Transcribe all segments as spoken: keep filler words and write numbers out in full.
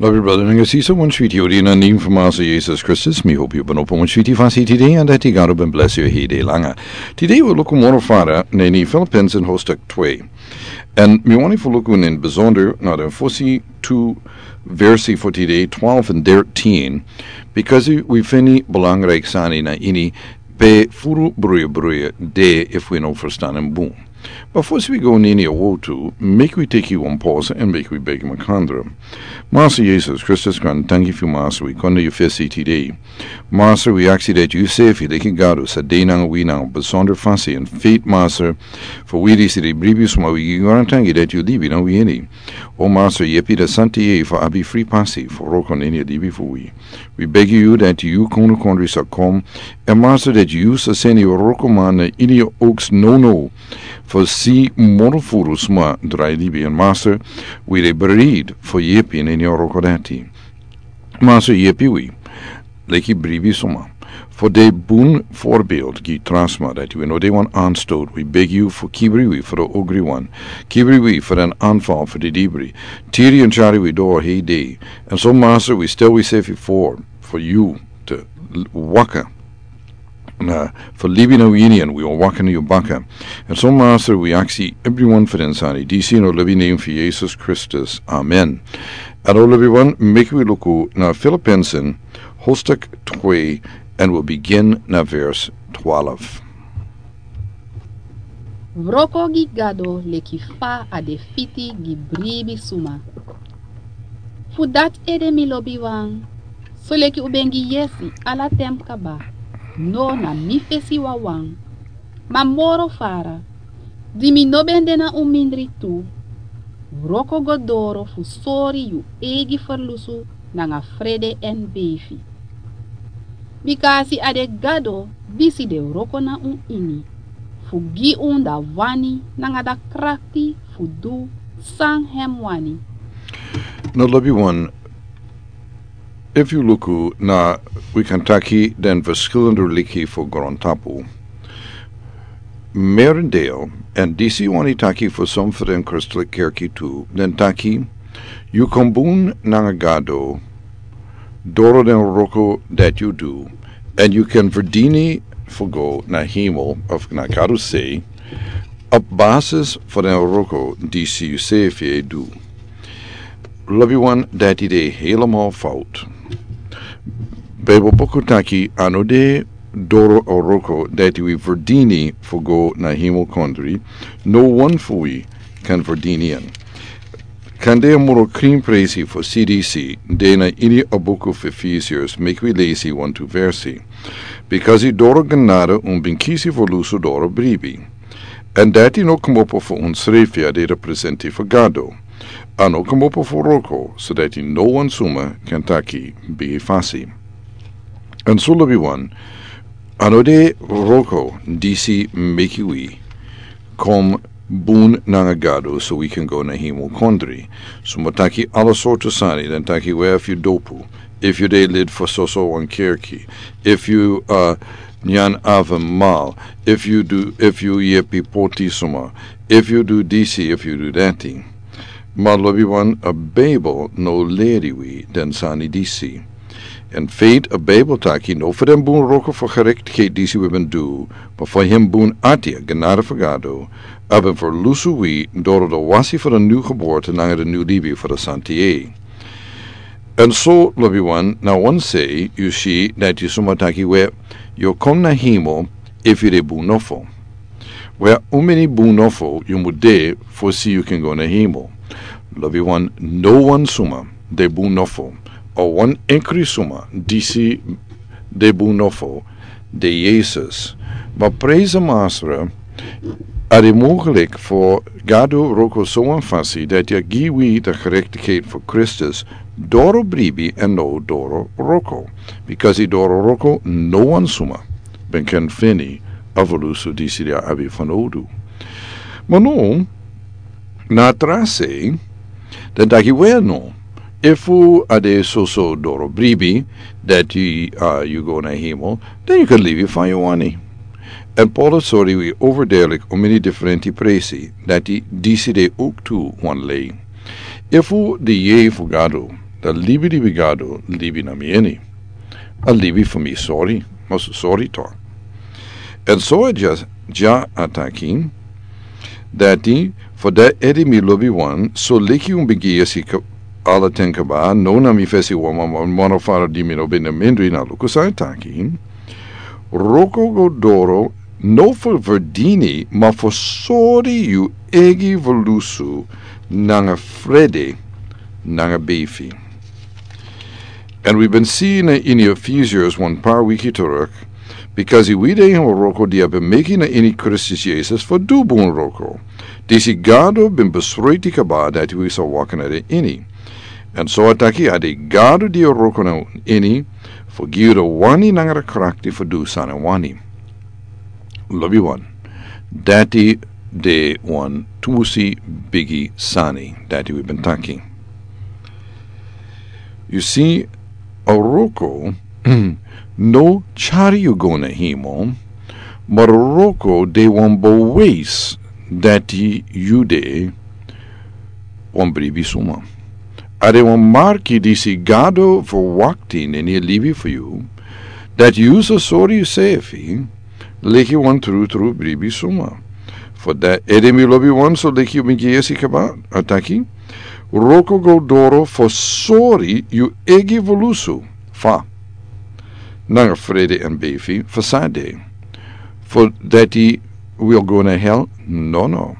Lobi brother nanga sisa, wan switi odi na nim fu Master Jesus Kristus. Mi hopi yu ben opo wan switi fasi tide, and dati Gado ben bless yu hei dei langa. Tide wi luku moro fara na ini Philippians in hostak twe. And mi wani fu luku in besonder na den fosi tu versi fu tide, twelve and thirteen, because wi feni belangrijk sani na ini pe furu bruya bruya de efu wi no verstan en bun. But first we go nini a wotu, make we take you one pause and make we beg makandra. Master Jesus Kristus, gran tangi fu Master, we konde yu fesi tide. Master, we aksi dat yu sefi leki Gado sa de nanga wi nanga besonder fasi en faith, Master. For we disi de bribi suma, we gi gran tangi dat yu libi nanga wi ini. O Master, yepi da santi ye for abi free pasi for roko nini a libi for we. We beg you that you kunu kondri sa kom. And Master, that you sa seni roko man ini oaks no no. For si mono furu sma drai libi, and Master, we de breed for yepi in ini roko dati. Master, yepi we leki bribi suma. For de bun voorbeeld gi trasma dati we no de wan aanstoot. We beg you for kibri we for de ogri wan. Kibri we for an aanval for de dibri. Tiri and chari we door hei day. And so, Master, we still we safe for, for you to waka. Na, for living a union, we are walking you back. And so, Master, we ask everyone for insani. D C no living name for Jesus Christus. Amen. And all everyone, make we look na Philippians, hostak twe, and we'll begin na verse twelve. Wroko gi Gado leki fa a de fiti gi bribi suma. Fu dati ede, mi lobiwan, soleki un ben gi yesi ala ten kaba, no na mi fesi wawan, ma moro fara, di mi no ben de na un mindri tu, wroko go doro fu sori yu eigi ferlusu nanga frede èn beifi. Bika a si a de Gado disi de wroko na un ini, fu gi un da wani nanga da krakti fu du san hem wani. No, lobiwan, efu yu luku na, wi kan taki den verschillende religie fu grontapu. Merendeel, èn disi wani taki fu son fu den Christelijk kerki tu, den taki, yu kon bun nanga Gado doro den wroko dati yu du, èn yu kan verdini fu go na hemel of na Gado se, op basis fu den wroko disi yu sefi e du. Lobiwan, dati de helemaal fout. Bijbelbuku taki a no de doro a wroko dati wi verdini fu go na hemel kondri, no wan fu wi kan verdini en. Kande a moro krin presi fu C D C de na ini a buku fu Efesiërs, meki wi lesi wantu versi. Bika a doro genade un ben kisi fu lusu doro bribi. Èn dati no kmopo fu unsrefi, a de representi fu Gado. A no kmopo fu wroko, so dati no wan suma kan taki bigi fasi. Èn so, lobiwan, a no de wroko disi meki wi kon bun nanga Gado so wi kan go na hemel kondri. Suma taki ala sortu sani, den taki we, efu yu dopu, efu yu de lid fu soso wan kerki, efu yu, uh, nyan avondmaal, efu yu du, efu yu yepi poti suma, efu yu du disi, efu yu du dati. Ma lobiwan, a Bijbel no leri wi den sani disi. In fact, a Bijbel taki no fu den bun wroko fu gerechtigheid disi wi ben du, ma fu hem bun ati, a genade fu Gado, a ben ferlusu wi doro de wasi fu de nu geboorte nanga de nu libi fu de santi e. Èn so, lobiwan, na wan sei yu si dati suma taki we, yu kon na hemel efu yu de bun nofo. We, how many bun nofo yu mu de fosi yu kan go na hemel? Lobiwan, no wan suma de bun nofo. A wan enkri suma disi de bun nofo, de Yesus. Ma praise the Master, a de mogelijk fu Gado wroko so wan fasi dati a gi wi de gerechtigheid fu Kristus doro bribi èn no doro wroko. Bika doro wroko no wan suma ben kan feni a ferlusu disi di a abi fanowdu. Ma now, na a tra sei, den taki we no, efu a de soso doro bribi dati, uh, yu go na hemel, den yu kan libi fa yu wani. Èn Paulus sori wi overduidelijk omeni diferenti presi dati disi de ook tu wan lei. Efu de yei fu Gado dan libi libi gado libi na mi ini. A libi fu mi sori, mas sori to. Èn so a dya, dya a taki dati, fu dati ede mi lobi wan so leki un ben gi yesi ka-, ala ten kaba, no na mi fesi wan wan wan wan fara di mi no ben na mindri na luku san a taki. Wroko go doro, no fu verdini ma fu sori yu egi volusu nanga frede nanga befi. Èn wi ben si na ini Efesiërs wan par wiki teruk, bikasi wi de ini wroko di a ben meki na ini Kristus Yesus fu du bun wroko. Disi gado ben besreti kaba dati wi sa waka na den ini. Èn so a taki a de gado di a wroko na ini, fu gi yu den wani nanga den krakti fu du san a wani. Lobi wan. Dati de wan tusi bigi sani dati wi ben taki. Yu si, a wroko no tyari yu go na himo, ma a wroko de wan beweis dati yu de wan bribi suma. A de wan marki disi gado fu wakti na ini a libi fu yu, dati yu sa sori yusefi leki wan trutru bribi suma. Fu dati ede mi lobi wan so leki yu ben gi yesi kaba, a taki, wroko go doro fu sori yu egi volusu, fa, nanga frede èn befi fu san de. Fu dati wi o go na hel? Nono.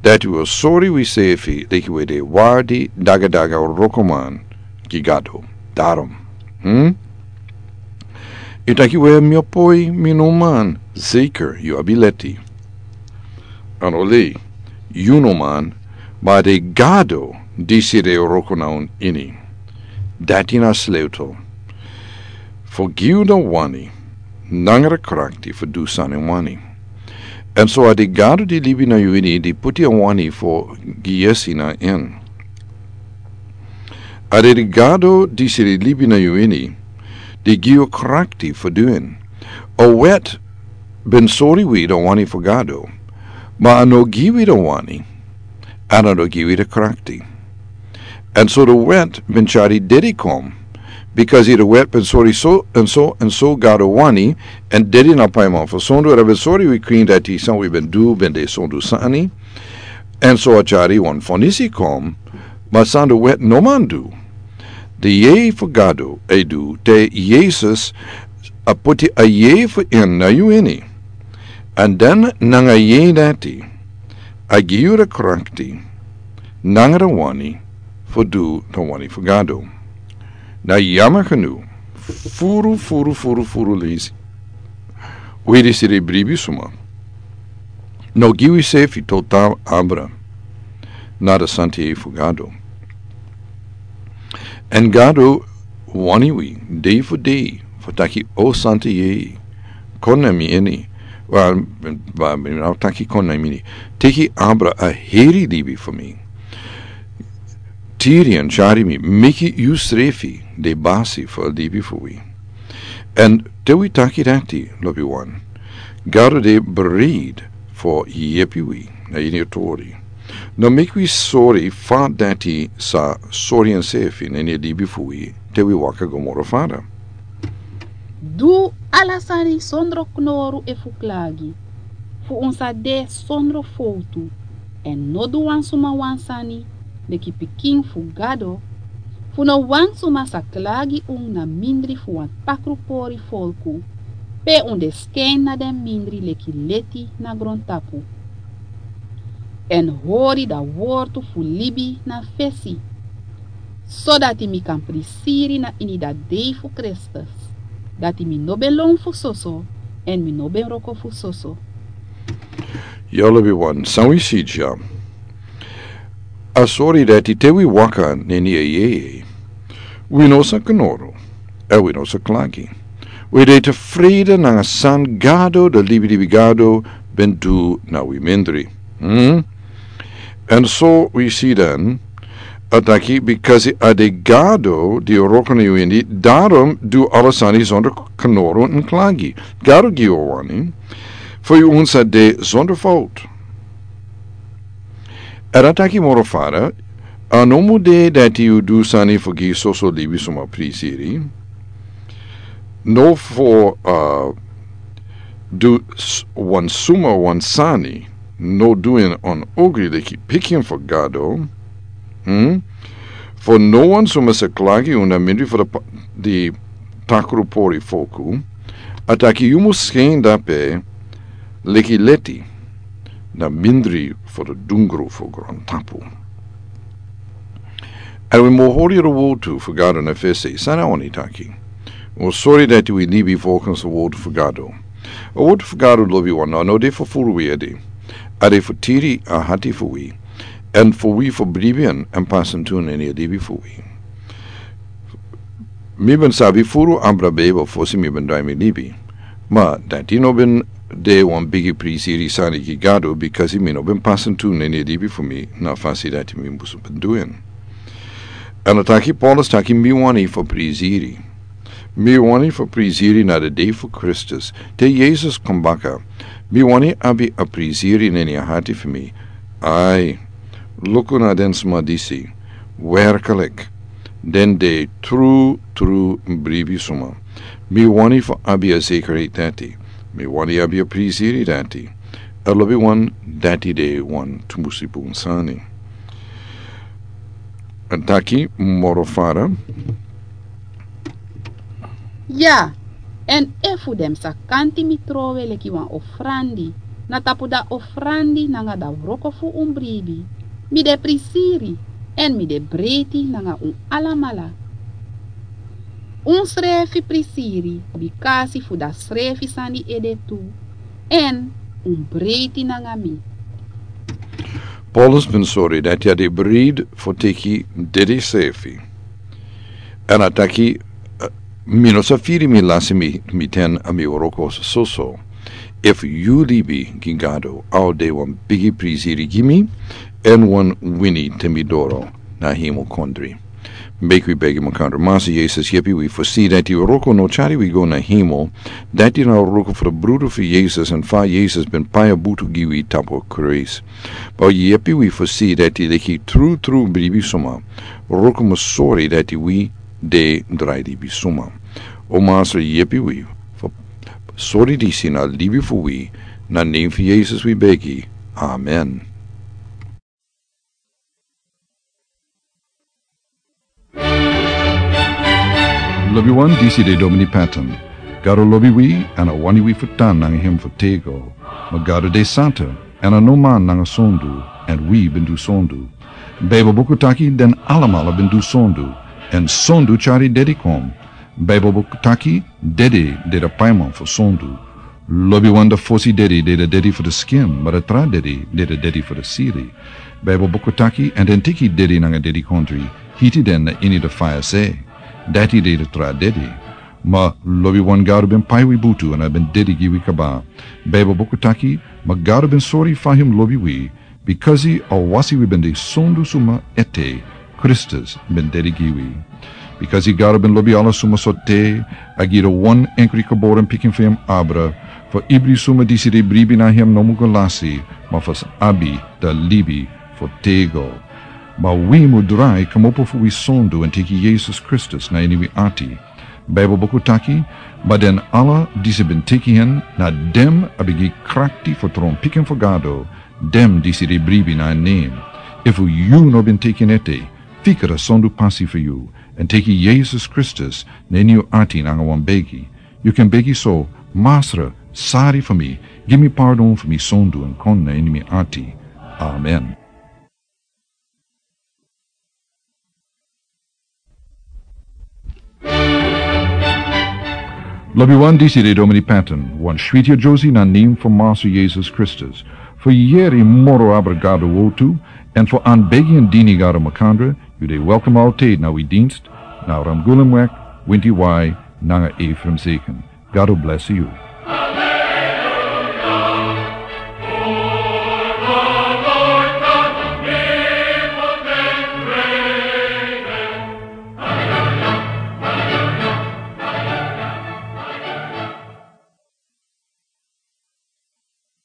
Dati wi o sori wisefi leki wi de wardi dagadaga wrokoman gi gado. Darom. Hm? Yu taki we mi o poi mi no man, zeker yu abi leti. Èn oli, yu no man, ma a de gado disi de wroko na un ini. Dati na sleutel fu gi yu den wani nanga den krakti fu du san a wani. Èn so a de gado di libi na yu ini di puti a wani fu gi yesi na en. A de di gado disi di libi na yu ini di gi yu krakti fu du en. A wet ben sori wi den wani fu gado, ma a no gi wi den wani, èn a no gi wi den krakti. Èn so den wet ben tyari dedi kon, bikasi den wet ben sori so èn so èn so gado wani, èn dedi na paiman fu sondu, èn a ben sori wi krin dati san wi ben du ben de sondu sani. Èn so a tyari wan fonisi kon, ma san den wet no man du, den yeye fu gado e du te yesus a puti a yeye fu en na yu ini. Èn den nanga a yeye dati a gi yu den krakti nanga den wani fu du den wani fu gado. Na yama kanu, furu furu furu furu lesi. Wi disi de bribi suma no gi wisefi total abra na den santa yeye fu gado. Èn gado wani wi dei fu dei fu taki o santa yeye, kon na mi ini. Wal, wal mi no taki kon na mi ini. Teki abra a heri libi fu mi. Tiri èn tyari mi meki yusrefi de basi fu a libi fu wi. Èn te wi taki dati lobi wan, gado de bereid fu yepi wi na ini a tori. No meki wi sori fa dati sa sori ensefi na ini a libi fu wi te wi waka go moro fada. Du ala sani sondro knoru efu klagi, fu un sa de sondro fowtu. Èn no du wan suma wan sani leki pikin fu gado, fu no wan suma sa klagi un na mindri fu wan takru pori folku, pe un de skin na den mindri leki leti na grontapu. Èn hori dan wortu fu libi na fesi, sodati mi kan prisiri na ini dan dei fu kristus, dati mi no ben lon fu soso, èn mi no ben wroko fu soso. Yu lobi wan san wi si dya, a sori dati te wi waka na ini a yeye, wi no sa knoro, èn wi no sa klagi. Wi de tefrede nanga san gado den libilibi gado ben du na wi mindri. Èn so wi si dan, a taki bikasi a de gado di wroko na yu ini, darom du ala sani sondro knoro èn klagi. Gado gi yu a wani fu yu un sa de sondro fowtu. Èn a taki moro fada, A no mus de dati yu du sani fu gi soso libisuma prisiri. No fu, a, du s-, wan suma wan sani, no du en on ogri leki pikin fu Gado. Hmm? Fu no wan suma sa klagi unu mindri fu di pa-, di takru pori foku. A taki yu mus skein dape leki leti na mindri fu di dungru fu grontapu. Èn wi mus hori a wotu fu Gado na fesi, san a wani taki. Wi mus sori dati wi libi fokus a wotu fu Gado. A wotu fu Gado lobiwan no de fu furu wi ede. A de fu tiri a hati fu wi. Èn fu wi fu bribi en èn pasentu na ini a libi fu wi. Mi ben sabi furu abra Beibel fosi mi ben drai mi libi. Ma dati no ben de wan bigi prisiri sani gi Gado, bikasi mi no ben pasentu na ini a libi fu mi na fasi dati mi musu ben du en. Èn a taki Paulus taki mi wani fu prisiri. Mi wani fu prisiri na di dei fu Kristus. Te Yesus kon baka. Mi wani abi a prisiri na ini a hati fu mi. Ai, luku na den suma disi. Werklik. Den de tru, tru bribisuma. Mi wani fu abi a zekerheid dati. Mi wani abi a prisiri dati. A lobiwan, dati de wan tumusi bun sani. A taki moro fara. Ya, èn efu den sa kanti mi trowe leki wan ofrandi, na tapu da ofrandi nanga da wroko fu un bribi, mi de prisiri, èn mi de breiti nanga un alamala. Un srefi prisiri, bikasi fu da srefi sani ede tu, èn un breiti nanga mi. Paulus ben sori dati a de breiti fu teki dede srefi. Èn a taki, eh, mi no sa firi mi lasi mi, mi ten a mi wroko soso. Efu yu libi gi Gado, a o de wan bigi prisiri gi mi, èn wan wini te mi doro na hemel kondre. Meki wi begi makandra. Masa Yesus, yepi wi fu si dati wroko no tyari wi go na hemel, dati na wroko fu di brudu fu Yesus, èn fa Yesus ben pai a butu gi wi tapu Krais. Bo yepi wi fu si dati leki tru tru bribisuma, wroko mus sori dati wi de drai libisuma. O Masa, yepi wi fu sori disi na libi fu wi, na nen fu Yesus wi begi. Amen. Lobiwan, disi de Domini Patton. Gado lobi wi, èn a wani wi fu tan nanga hem fu tego. Ma Gado de santa, èn a no man nanga sondu, èn wi ben du sondu. Beibel buku taki den alamala ben du sondu, èn sondu tyari dede kon. Beibel buku taki dede de di paiman fu sondu. Lobiwan, di fosi dede de di dede fu di skin, ma di tra dede de di dede fu di sili. Beibel buku taki, èn den teki dede nanga dedikondre, hiti den na ini di faya se. Dati de di tra dede. Ma lobiwan, Gado ben pai wi butu èn a ben dede gi wi kaba. Beibel buku taki, ma Gado ben sori fa hem lobi wi, bikasi a wasi wi ben de sondu suma ete, Kristus ben dede gi wi. Bikasi Gado ben lobi ala suma so te, a gi di wan enkri geboren pikin fu hem abra, fu ibri suma disi de bribi na hem no mus go lasi, ma fu sa abi di libi fu tego. Ma wi mus drai kmopo fu wi sondu èn teki Yesus Kristus na ini wi ati. Beibel buku taki, ma den ala disi ben teki hen, na den a ben gi krakti fu tron pikin fu Gado, den disi de bribi na en nen. Efu yu no ben teki en ete, fika di sondu pasi fu yu, èn teki Yesus Kristus na ini yu ati nanga wan begi. Yu kan begi so: Masra, sari fu mi, gi mi pardon fu mi sondu èn kon na ini mi ati. Amen. Lobiwan, disi de Domini Patton, wan switi a Josie na nen fu Masa Yesus Kristus. Fu yeri moro abra Gado wotu, èn fu anbegi èn dini Gado makandra, yu de welkom altijd na wi dienst, na Ramgulen Wek, Winti Wai, nanga Ephraim Zeken. Gado bless yu.